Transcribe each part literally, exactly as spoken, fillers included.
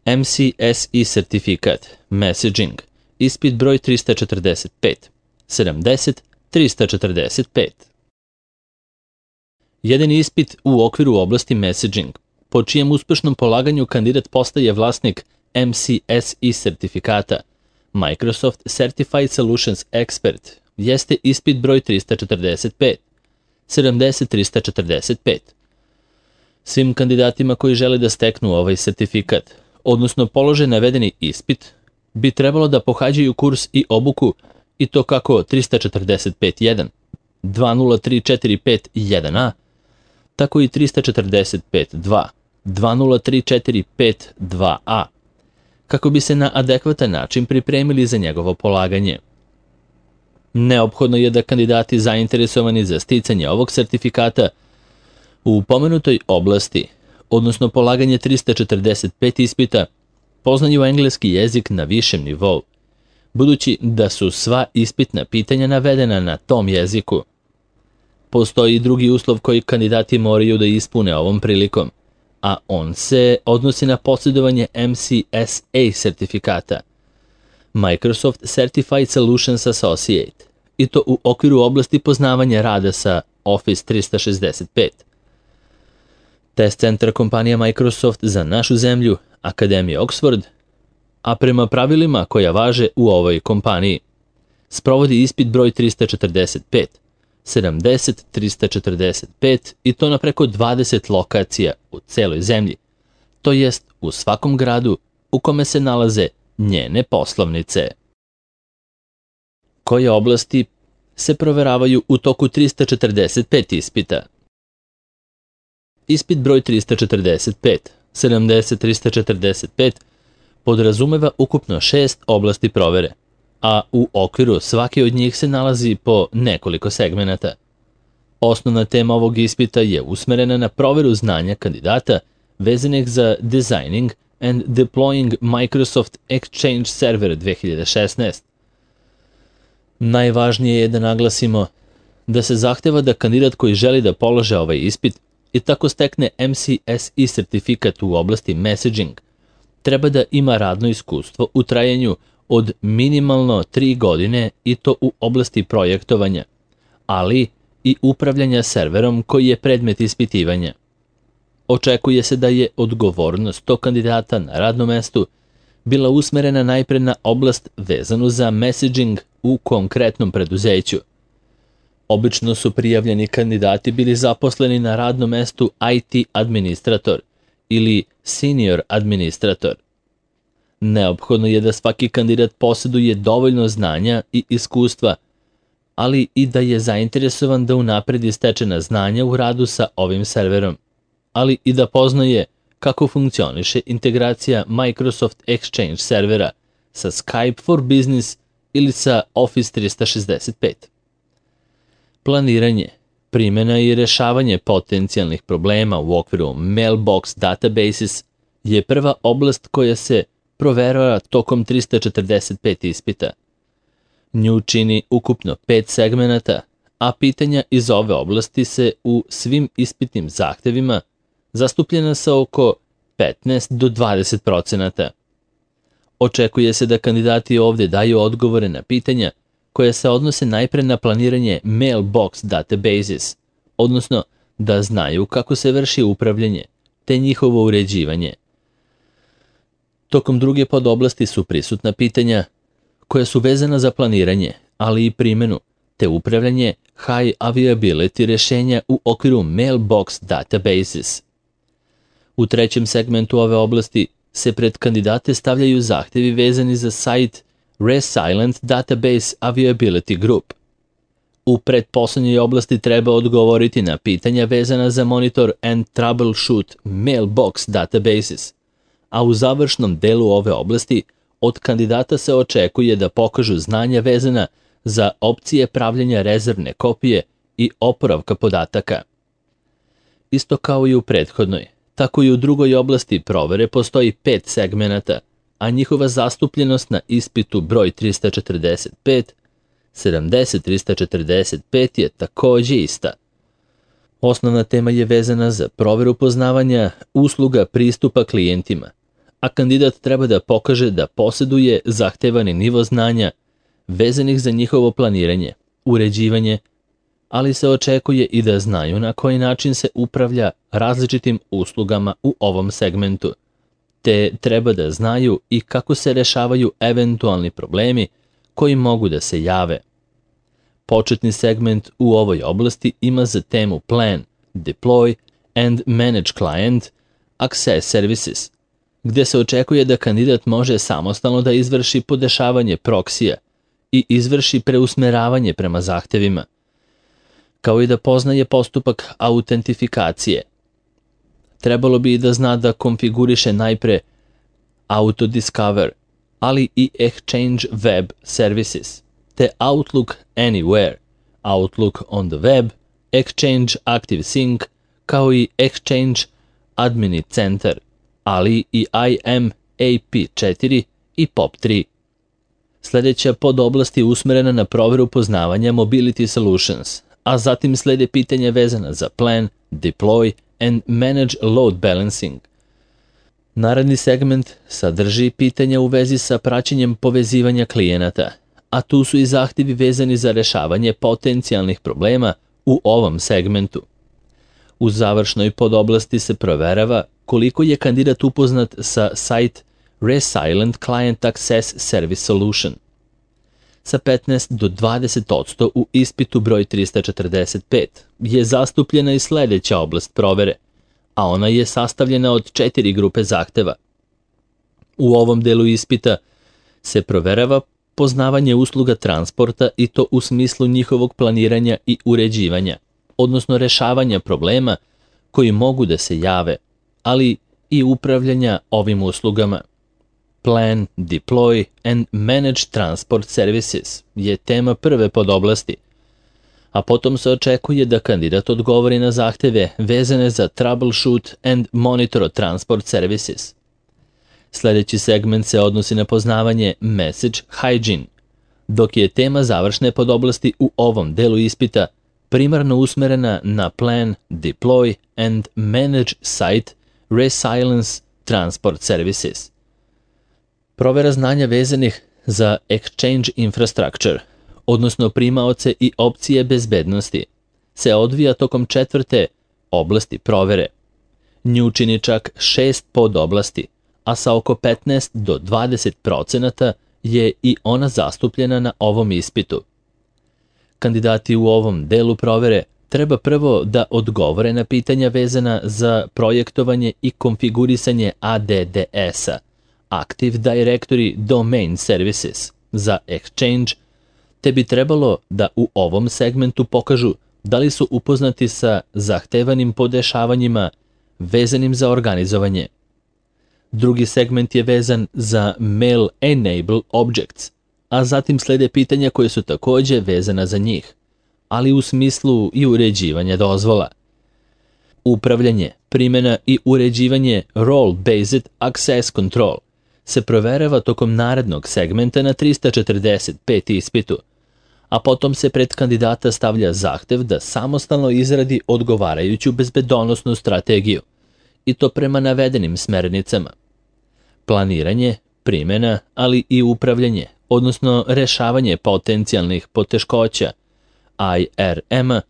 M C S I sertifikat, messaging, ispit broj trista četrdeset pet, sedamdeset trista četrdeset pet. Jedan ispit u okviru oblasti messaging, po čijem uspešnom polaganju kandidat postaje vlasnik M C S I sertifikata, Microsoft Certified Solutions Expert, jeste ispit broj trista četrdeset pet, sedamdeset trista četrdeset pet. Svim kandidatima koji žele da steknu ovaj sertifikat, odnosno polože navedeni ispit, bi trebalo da pohađaju kurs i obuku i to kako trista četrdeset pet jedan, dva nula tri četiri pet jedan a, tako i trista četrdeset pet dva, dva nula tri četiri pet dva a, kako bi se na adekvatan način pripremili za njegovo polaganje. Neophodno je da kandidati zainteresovani za sticanje ovog sertifikata u pomenutoj oblasti, odnosno polaganje trista četrdeset pet ispita, poznaju engleski jezik na višem nivou, budući da su sva ispitna pitanja navedena na tom jeziku. Postoji i drugi uslov koji kandidati moraju da ispune ovom prilikom, a on se odnosi na posjedovanje M C S A sertifikata, Microsoft Certified Solutions Associate, i to u okviru oblasti poznavanja rada sa Office trista šezdeset pet. Test centar kompanija Microsoft za našu zemlju, Akademija Oxford, a prema pravilima koja važe u ovoj kompaniji, sprovodi ispit broj trista četrdeset pet, sedamdeset trista četrdeset pet i to na preko dvadeset lokacija u celoj zemlji, to jest u svakom gradu u kome se nalaze njene poslovnice. Koje oblasti se proveravaju u toku trista četrdeset pet ispita? Ispit broj trista četrdeset pet, sedamdeset trista četrdeset pet podrazumeva ukupno šest oblasti provere, a u okviru svake od njih se nalazi po nekoliko segmenata. Osnovna tema ovog ispita je usmerena na proveru znanja kandidata vezanih za Designing and Deploying Microsoft Exchange Server dve hiljade šesnaest. Najvažnije je da naglasimo da se zahteva da kandidat koji želi da polože ovaj ispit i tako stekne M C S I sertifikat u oblasti messaging, treba da ima radno iskustvo u trajanju od minimalno tri godine i to u oblasti projektovanja, ali i upravljanja serverom koji je predmet ispitivanja. Očekuje se da je odgovornost tog kandidata na radnom mestu bila usmerena najpre na oblast vezanu za messaging u konkretnom preduzeću. Obično su prijavljeni kandidati bili zaposleni na radnom mestu I T administrator ili senior administrator. Neophodno je da svaki kandidat posjeduje dovoljno znanja i iskustva, ali i da je zainteresovan da unapredi stečena znanja u radu sa ovim serverom, ali i da poznaje kako funkcioniše integracija Microsoft Exchange servera sa Skype for Business ili sa Office trista šezdeset pet. Planiranje, primjena i rešavanje potencijalnih problema u okviru Mailbox Databases je prva oblast koja se proverava tokom trista četrdeset pet ispita. Nju čini ukupno pet segmenata, a pitanja iz ove oblasti se u svim ispitnim zahtevima zastupljena sa oko petnaest do dvadeset procenata. Očekuje se da kandidati ovdje daju odgovore na pitanja koje se odnose najpre na planiranje Mailbox Databases, odnosno da znaju kako se vrši upravljanje, te njihovo uređivanje. Tokom druge podoblasti su prisutna pitanja koja su vezana za planiranje, ali i primjenu, te upravljanje high availability rješenja u okviru Mailbox Databases. U trećem segmentu ove oblasti se pred kandidate stavljaju zahtevi vezani za site Resilient Database Availability Group. U pretposlednjoj oblasti treba odgovoriti na pitanja vezana za Monitor and Troubleshoot Mailbox Databases, a u završnom delu ove oblasti od kandidata se očekuje da pokažu znanja vezana za opcije pravljenja rezervne kopije i oporavka podataka. Isto kao i u prethodnoj, tako i u drugoj oblasti provere postoji pet segmenata, a njihova zastupljenost na ispitu broj trista četrdeset pet, sedamdeset trista četrdeset pet je takođe ista. Osnovna tema je vezana za proveru poznavanja usluga pristupa klijentima, a kandidat treba da pokaže da posjeduje zahtevani nivo znanja vezanih za njihovo planiranje, uređivanje, ali se očekuje i da znaju na koji način se upravlja različitim uslugama u ovom segmentu, te treba da znaju i kako se rešavaju eventualni problemi koji mogu da se jave. Početni segment u ovoj oblasti ima za temu Plan, Deploy and Manage Client Access Services, gde se očekuje da kandidat može samostalno da izvrši podešavanje proksija i izvrši preusmeravanje prema zahtevima, kao i da poznaje postupak autentifikacije. Trebalo bi i da zna da konfiguriše najpre Autodiscover, ali i Exchange Web Services, te Outlook Anywhere, Outlook on the Web, Exchange Active Sync, kao i Exchange Admin Center, ali i I M A P četiri i P O P tri. Sljedeća podoblast je usmerena na proveru poznavanja Mobility Solutions, a zatim slede pitanja vezana za Plan, Deploy and Manage Load Balancing. Naredni segment sadrži pitanja u vezi sa praćenjem povezivanja klijenata, a tu su i zahtjevi vezani za rešavanje potencijalnih problema u ovom segmentu. U završnoj podoblasti se proverava koliko je kandidat upoznat sa site Resilient Client Access Service Solution. Sa petnaest do dvadeset posto u ispitu broj trista četrdeset pet je zastupljena i sljedeća oblast provere, a ona je sastavljena od četiri grupe zahteva. U ovom delu ispita se proverava poznavanje usluga transporta i to u smislu njihovog planiranja i uređivanja, odnosno rešavanja problema koji mogu da se jave, ali i upravljanja ovim uslugama. Plan, Deploy and Manage Transport Services je tema prve podoblasti, a potom se očekuje da kandidat odgovori na zahteve vezane za Troubleshoot and Monitor Transport Services. Sljedeći segment se odnosi na poznavanje Message Hygiene, dok je tema završne podoblasti u ovom delu ispita primarno usmerena na Plan, Deploy and Manage Site Resilience Transport Services. Provera znanja vezanih za Exchange Infrastructure, odnosno primaoce i opcije bezbednosti, se odvija tokom četvrte oblasti provere. Nju čini čak šest podoblasti, a sa oko petnaest do dvadeset procenata je i ona zastupljena na ovom ispitu. Kandidati u ovom delu provere treba prvo da odgovore na pitanja vezana za projektovanje i konfigurisanje A D D S-a, Active Directory Domain Services, za Exchange, te bi trebalo da u ovom segmentu pokažu da li su upoznati sa zahtevanim podešavanjima vezanim za organizovanje. Drugi segment je vezan za Mail Enable Objects, a zatim slede pitanja koje su takođe vezana za njih, ali u smislu i uređivanja dozvola. Upravljanje, primjena i uređivanje Role-Based Access Control se proverava tokom narednog segmenta na trista četrdeset pet ispitu, a potom se pred kandidata stavlja zahtev da samostalno izradi odgovarajuću bezbedonosnu strategiju, i to prema navedenim smernicama. Planiranje, primjena, ali i upravljanje, odnosno rešavanje potencijalnih poteškoća, I R M-a,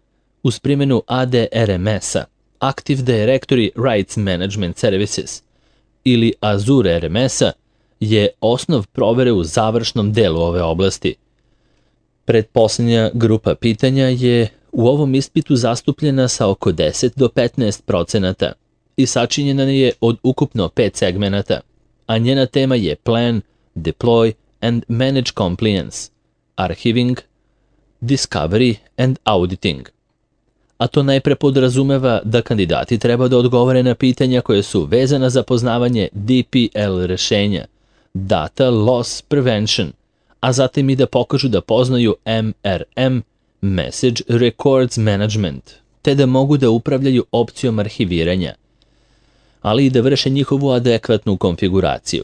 uz primjenu A D R M S-a, Active Directory Rights Management Services, ili Azure R M S-a, je osnov provere u završnom delu ove oblasti. Pretposljednja grupa pitanja je u ovom ispitu zastupljena sa oko deset do petnaest procenata i sačinjena je od ukupno pet segmenata, a njena tema je Plan, Deploy and Manage Compliance, Archiving, Discovery and Auditing. A to najpre podrazumeva da kandidati treba da odgovore na pitanja koje su vezana za poznavanje D P L rešenja, Data Loss Prevention, a zatim i da pokažu da poznaju M R M, Message Records Management, te da mogu da upravljaju opcijom arhiviranja, ali i da vrše njihovu adekvatnu konfiguraciju.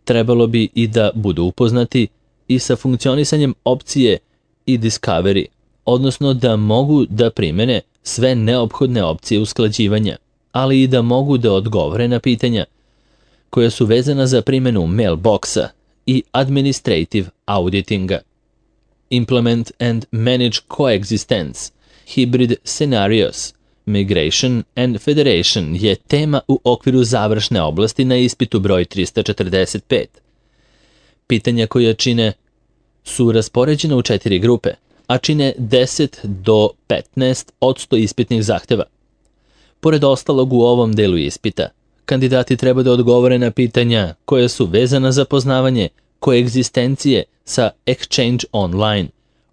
Trebalo bi i da budu upoznati i sa funkcionisanjem opcije i Discovery, odnosno da mogu da primene sve neophodne opcije usklađivanja, ali i da mogu da odgovore na pitanja koja su vezana za primjenu mailboxa i administrative auditinga. Implement and manage coexistence, hybrid scenarios, migration and federation je tema u okviru završne oblasti na ispitu broj trista četrdeset pet. Pitanja koja čine su raspoređena u četiri grupe, a čine deset do petnaest posto ispitnih zahteva. Pored ostalog u ovom delu ispita, kandidati treba da odgovore na pitanja koja su vezana za poznavanje koegzistencije sa Exchange Online,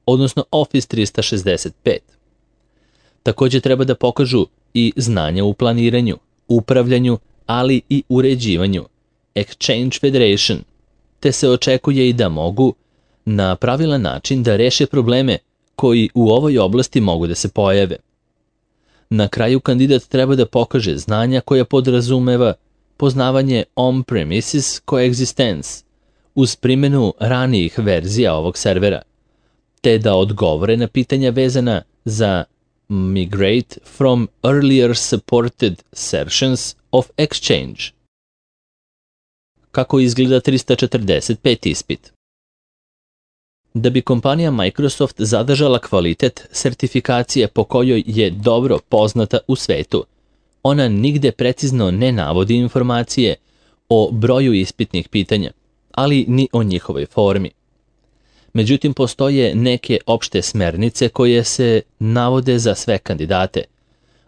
odnosno Office trista šezdeset pet. Također treba da pokažu i znanja u planiranju, upravljanju, ali i uređivanju Exchange Federation, te se očekuje i da mogu na pravilan način da reše probleme koji u ovoj oblasti mogu da se pojave. Na kraju kandidat treba da pokaže znanja koja podrazumeva poznavanje on-premises coexistence uz primjenu ranijih verzija ovog servera, te da odgovore na pitanja vezana za migrate from earlier supported versions of Exchange. Kako izgleda trista četrdeset pet ispit? Da bi kompanija Microsoft zadržala kvalitet sertifikacije po kojoj je dobro poznata u svetu, ona nigde precizno ne navodi informacije o broju ispitnih pitanja, ali ni o njihovoj formi. Međutim, postoje neke opšte smernice koje se navode za sve kandidate,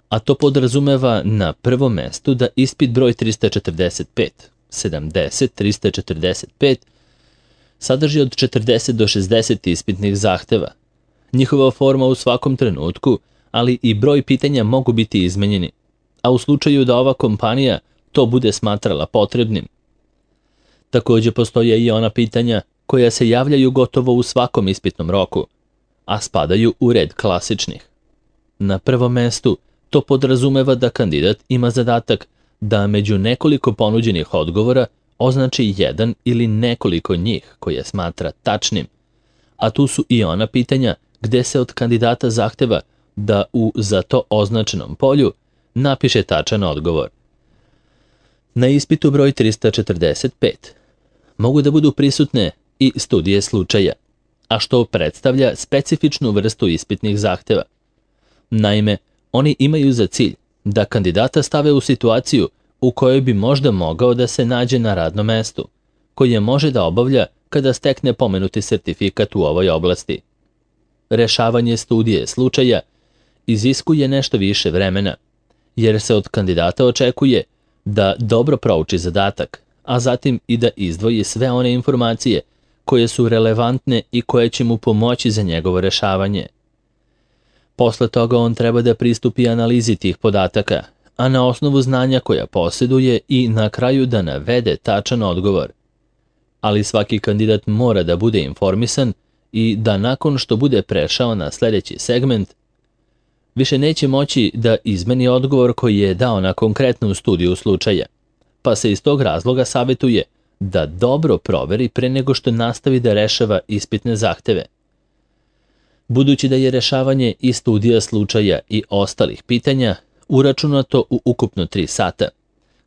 a to podrazumeva na prvom mestu da ispit broj trista četrdeset pet, sedamdeset, trista četrdeset pet sadrži od četrdeset do šezdeset ispitnih zahteva. Njihova forma u svakom trenutku, ali i broj pitanja mogu biti izmenjeni, a u slučaju da ova kompanija to bude smatrala potrebnim. Također postoje i ona pitanja koja se javljaju gotovo u svakom ispitnom roku, a spadaju u red klasičnih. Na prvom mestu to podrazumeva da kandidat ima zadatak da među nekoliko ponuđenih odgovora označi jedan ili nekoliko njih koje smatra tačnim, a tu su i ona pitanja gde se od kandidata zahteva da u za to označenom polju napiše tačan odgovor. Na ispitu broj trista četrdeset pet mogu da budu prisutne i studije slučaja, a što predstavlja specifičnu vrstu ispitnih zahteva. Naime, oni imaju za cilj da kandidata stave u situaciju u kojoj bi možda mogao da se nađe na radnom mestu, koje može da obavlja kada stekne pomenuti sertifikat u ovoj oblasti. Rešavanje studije slučaja iziskuje nešto više vremena, jer se od kandidata očekuje da dobro prouči zadatak, a zatim i da izdvoji sve one informacije koje su relevantne i koje će mu pomoći za njegovo rešavanje. Posle toga on treba da pristupi analizi tih podataka, a na osnovu znanja koja posjeduje i na kraju da navede tačan odgovor. Ali svaki kandidat mora da bude informisan i da nakon što bude prešao na sljedeći segment, više neće moći da izmeni odgovor koji je dao na konkretnu studiju slučaja, pa se iz tog razloga savjetuje da dobro proveri pre nego što nastavi da rešava ispitne zahteve. Budući da je rešavanje i studija slučaja i ostalih pitanja uračunato u ukupno tri sata,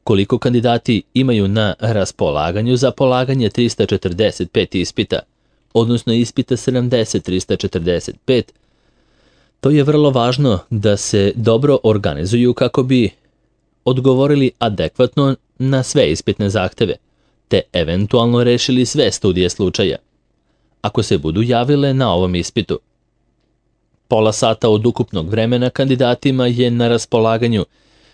koliko kandidati imaju na raspolaganju za polaganje trista četrdeset pet ispita, odnosno ispita sedamdeset trista četrdeset pet, to je vrlo važno da se dobro organizuju kako bi odgovorili adekvatno na sve ispitne zahteve, te eventualno rešili sve studije slučaja, ako se budu javile na ovom ispitu. Pola sata od ukupnog vremena kandidatima je na raspolaganju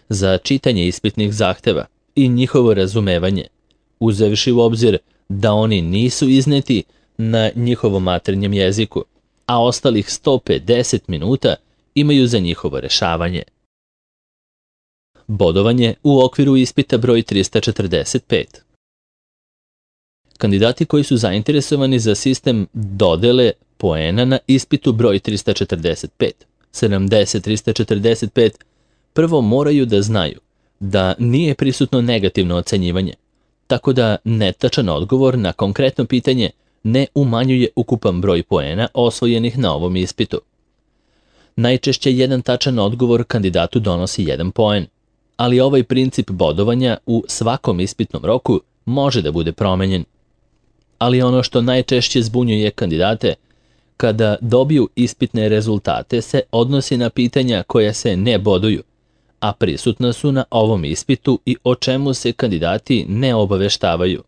za čitanje ispitnih zahteva i njihovo razumevanje, uzevši u obzir da oni nisu izneti na njihovom maternjem jeziku, a ostalih sto pedeset minuta imaju za njihovo rešavanje. Bodovanje u okviru ispita broj trista četrdeset pet. Kandidati koji su zainteresovani za sistem dodele poena na ispitu broj trista četrdeset pet, sedamdeset trista četrdeset pet, prvo moraju da znaju da nije prisutno negativno ocenjivanje, tako da netačan odgovor na konkretno pitanje ne umanjuje ukupan broj poena osvojenih na ovom ispitu. Najčešće jedan tačan odgovor kandidatu donosi jedan poen, ali ovaj princip bodovanja u svakom ispitnom roku može da bude promenjen. Ali ono što najčešće zbunjuje kandidate kada dobiju ispitne rezultate se odnosi na pitanja koja se ne boduju, a prisutna su na ovom ispitu i o čemu se kandidati ne obaveštavaju.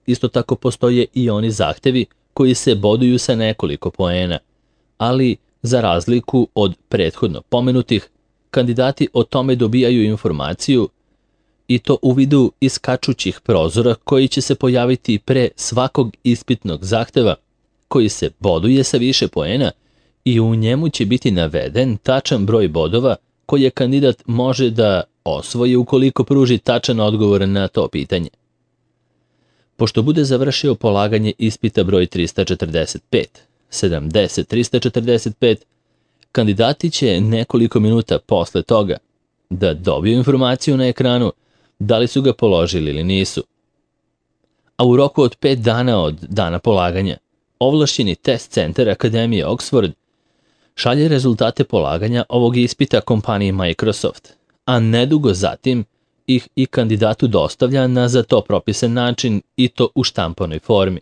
Isto tako postoje i oni zahtevi koji se boduju sa nekoliko poena, ali za razliku od prethodno pomenutih, kandidati o tome dobijaju informaciju i to u vidu iskačućih prozora koji će se pojaviti pre svakog ispitnog zahteva koji se boduje sa više poena i u njemu će biti naveden tačan broj bodova koje kandidat može da osvoji ukoliko pruži tačan odgovor na to pitanje. Pošto bude završio polaganje ispita broj trista četrdeset pet, sedamdeset, trista četrdeset pet, kandidati će nekoliko minuta posle toga da dobiju informaciju na ekranu da li su ga položili ili nisu. A u roku od pet dana od dana polaganja, ovlašćeni test centar Akademije Oxford šalje rezultate polaganja ovog ispita kompaniji Microsoft, a nedugo zatim ih i kandidatu dostavlja na za to propisan način i to u štampanoj formi.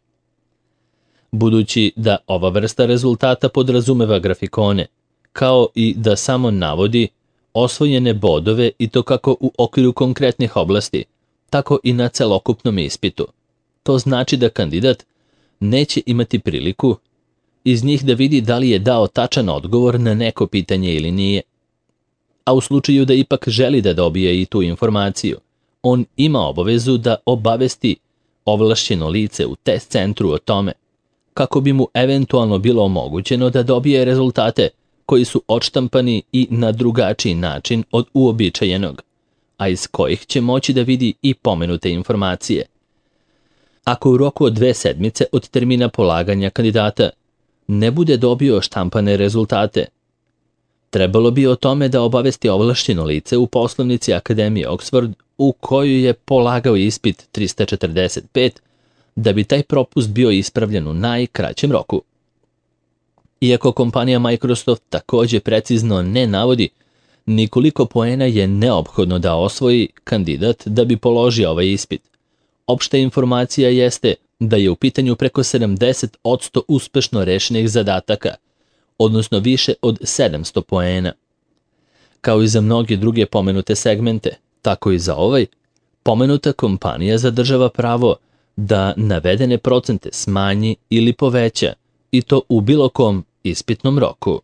Budući da ova vrsta rezultata podrazumeva grafikone, kao i da samo navodi osvojene bodove i to kako u okviru konkretnih oblasti, tako i na celokupnom ispitu. To znači da kandidat neće imati priliku iz njih da vidi da li je dao tačan odgovor na neko pitanje ili nije. A u slučaju da ipak želi da dobije i tu informaciju, on ima obavezu da obavesti ovlašćeno lice u test centru o tome, kako bi mu eventualno bilo omogućeno da dobije rezultate koji su odštampani i na drugačiji način od uobičajenog, a iz kojih će moći da vidi i pomenute informacije. Ako u roku od dve sedmice od termina polaganja kandidata ne bude dobio štampane rezultate, trebalo bi o tome da obavesti ovlašćeno lice u poslovnici Akademije Oxford u kojoj je polagao ispit trista četrdeset pet, da bi taj propust bio ispravljen u najkraćem roku. Iako kompanija Microsoft takođe precizno ne navodi ni koliko poena je neophodno da osvoji kandidat da bi položio ovaj ispit, opšta informacija jeste da je u pitanju preko sedamdeset posto uspešno rešenih zadataka, odnosno više od sedamsto poena. Kao i za mnoge druge pomenute segmente, tako i za ovaj, pomenuta kompanija zadržava pravo da navedene procente smanji ili poveća, i to u bilo kom ispitnom roku.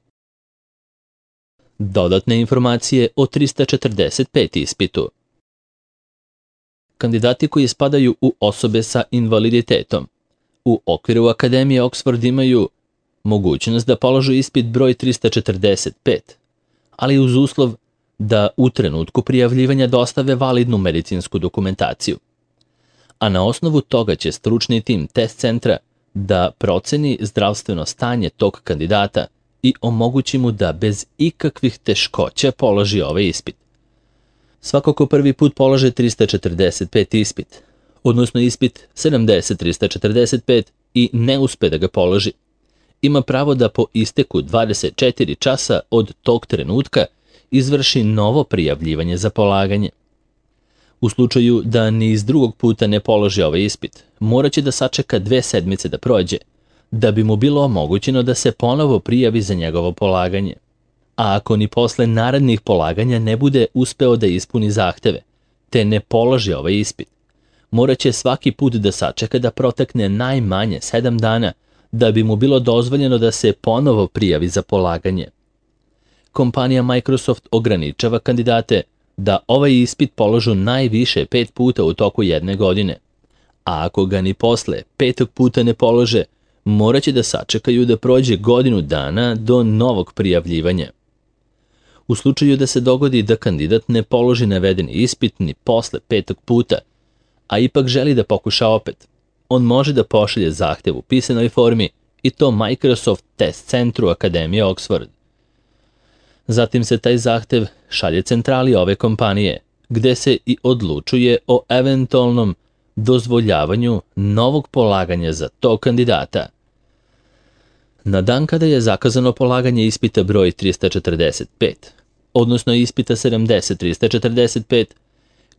Dodatne informacije o trista četrdeset pet ispitu. Kandidati koji spadaju u osobe sa invaliditetom u okviru Akademije Oxford imaju mogućnost da položu ispit broj trista četrdeset pet, ali uz uslov da u trenutku prijavljivanja dostave validnu medicinsku dokumentaciju. A na osnovu toga će stručni tim test centra da proceni zdravstveno stanje tog kandidata i omogući mu da bez ikakvih teškoća položi ovaj ispit. Svako ko prvi put polaže trista četrdeset pet ispit, odnosno ispit sedamdeset, trista četrdeset pet i ne uspe da ga položi, ima pravo da po isteku dvadeset četiri časa od tog trenutka izvrši novo prijavljivanje za polaganje. U slučaju da ni iz drugog puta ne položi ovaj ispit, morat će da sačeka dve sedmice da prođe, da bi mu bilo omogućeno da se ponovo prijavi za njegovo polaganje. A ako ni posle narednih polaganja ne bude uspeo da ispuni zahteve, te ne položi ovaj ispit, morat će svaki put da sačeka da protekne najmanje sedam dana da bi mu bilo dozvoljeno da se ponovo prijavi za polaganje. Kompanija Microsoft ograničava kandidate da ovaj ispit položu najviše pet puta u toku jedne godine, a ako ga ni posle petog puta ne polože, morat će da sačekaju da prođe godinu dana do novog prijavljivanja. U slučaju da se dogodi da kandidat ne položi navedeni ispit ni posle petog puta, a ipak želi da pokuša opet, on može da pošalje zahtev u pisanoj formi i to Microsoft test centru Akademije Oxford. Zatim se taj zahtev šalje centrali ove kompanije, gde se i odlučuje o eventualnom dozvoljavanju novog polaganja za tog kandidata. Na dan kada je zakazano polaganje ispita broj trista četrdeset pet, odnosno ispita sedamdeset trista četrdeset pet,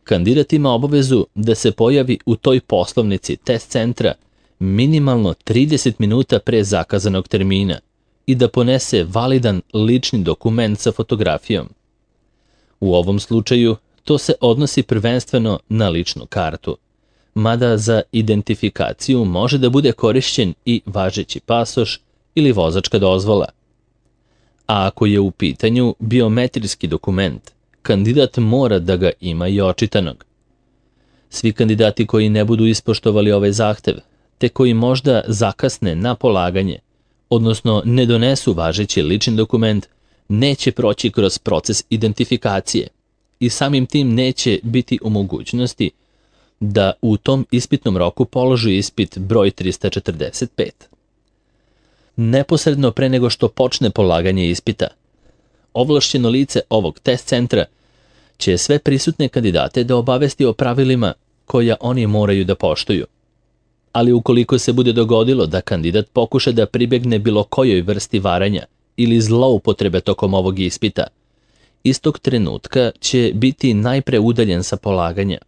kandidat ima obavezu da se pojavi u toj poslovnici test centra minimalno trideset minuta pre zakazanog termina i da ponese validan lični dokument sa fotografijom. U ovom slučaju to se odnosi prvenstveno na ličnu kartu, mada za identifikaciju može da bude korišćen i važeći pasoš ili vozačka dozvola. A ako je u pitanju biometrijski dokument, kandidat mora da ga ima i očitanog. Svi kandidati koji ne budu ispoštovali ovaj zahtev, te koji možda zakasne na polaganje, odnosno ne donesu važeći lični dokument, neće proći kroz proces identifikacije i samim tim neće biti u mogućnosti da u tom ispitnom roku položi ispit broj trista četrdeset pet. Neposredno pre nego što počne polaganje ispita, ovlašćeno lice ovog test centra će sve prisutne kandidate da obavesti o pravilima koja oni moraju da poštuju. Ali ukoliko se bude dogodilo da kandidat pokuša da pribegne bilo kojoj vrsti varanja ili zloupotrebe tokom ovog ispita, istog trenutka će biti najpre udaljen sa polaganja.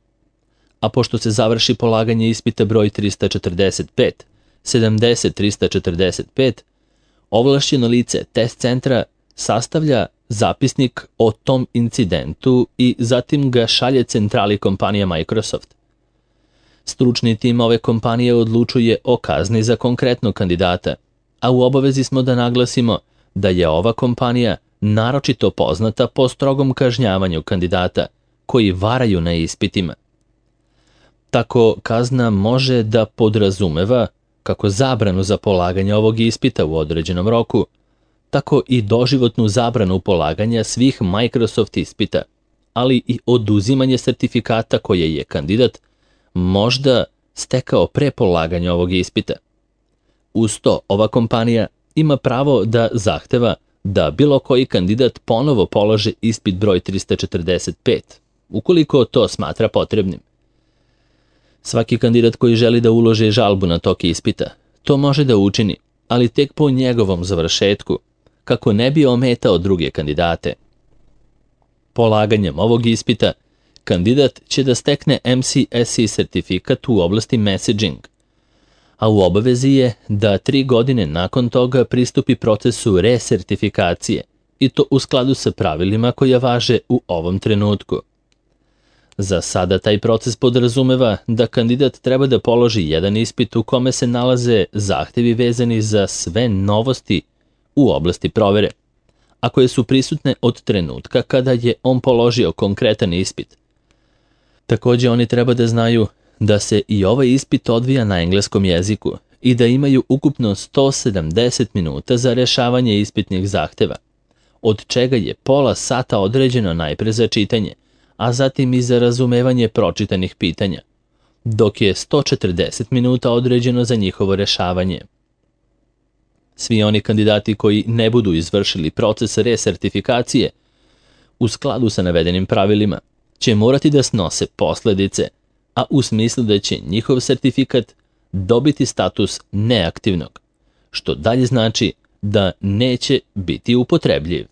A pošto se završi polaganje ispita broj trista četrdeset pet, sedamdeset trista četrdeset pet, ovlašćeno lice test centra sastavlja zapisnik o tom incidentu i zatim ga šalje centrali kompanija Microsoft. Stručni tim ove kompanije odlučuje o kazni za konkretnog kandidata, a u obavezi smo da naglasimo da je ova kompanija naročito poznata po strogom kažnjavanju kandidata koji varaju na ispitima. Tako kazna može da podrazumeva kako zabranu za polaganje ovog ispita u određenom roku, tako i doživotnu zabranu polaganja svih Microsoft ispita, ali i oduzimanje sertifikata koje je kandidat možda stekao pre polaganja ovog ispita. Uz to, ova kompanija ima pravo da zahteva da bilo koji kandidat ponovo položi ispit broj trista četrdeset pet, ukoliko to smatra potrebnim. Svaki kandidat koji želi da uloži žalbu na tok ispita, to može da učini, ali tek po njegovom završetku, kako ne bi ometao druge kandidate. Polaganjem ovog ispita, kandidat će da stekne M C S E sertifikat u oblasti messaging, a u obavezi je da tri godine nakon toga pristupi procesu resertifikacije i to u skladu sa pravilima koja važe u ovom trenutku. Za sada taj proces podrazumeva da kandidat treba da položi jedan ispit u kome se nalaze zahtevi vezani za sve novosti u oblasti provere, a koje su prisutne od trenutka kada je on položio konkretan ispit. Takođe, oni treba da znaju da se i ovaj ispit odvija na engleskom jeziku i da imaju ukupno sto sedamdeset minuta za rešavanje ispitnih zahteva, od čega je pola sata određeno najpre za čitanje, a zatim i za razumevanje pročitanih pitanja, dok je sto četrdeset minuta određeno za njihovo rešavanje. Svi oni kandidati koji ne budu izvršili proces resertifikacije u skladu sa navedenim pravilima će morati da snose posledice, a u smislu da će njihov sertifikat dobiti status neaktivnog, što dalje znači da neće biti upotrebljiv.